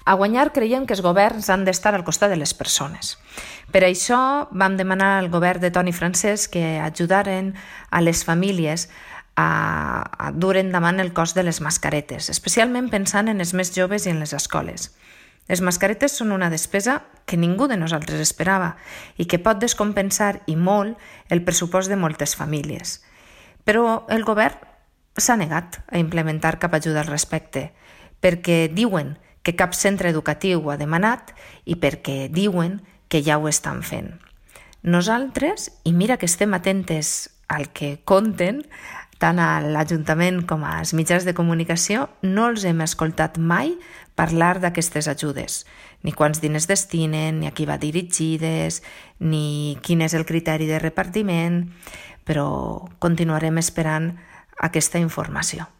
A guanyar creiem que els governs han d'estar al costat de les persones. Per això vam demanar al govern de Toni Francesc que ajudaren a les famílies a dur endavant el cost de les mascaretes, especialment pensant en els més joves i en les escoles. Les mascaretes són una despesa que ningú de nosaltres esperava i que pot descompensar i molt el pressupost de moltes famílies. Però el govern s'ha negat a implementar cap ajuda al respecte, perquè diuen que cap centre educatiu ho ha demanat i perquè diuen que ja ho estan fent. Nosaltres, i mira que estem atentes al que conten, tant a l'Ajuntament com als mitjans de comunicació, no els hem escoltat mai parlar d'aquestes ajudes, ni quants diners destinen, ni a qui va dirigides, ni quin és el criteri de repartiment, però continuarem esperant aquesta informació.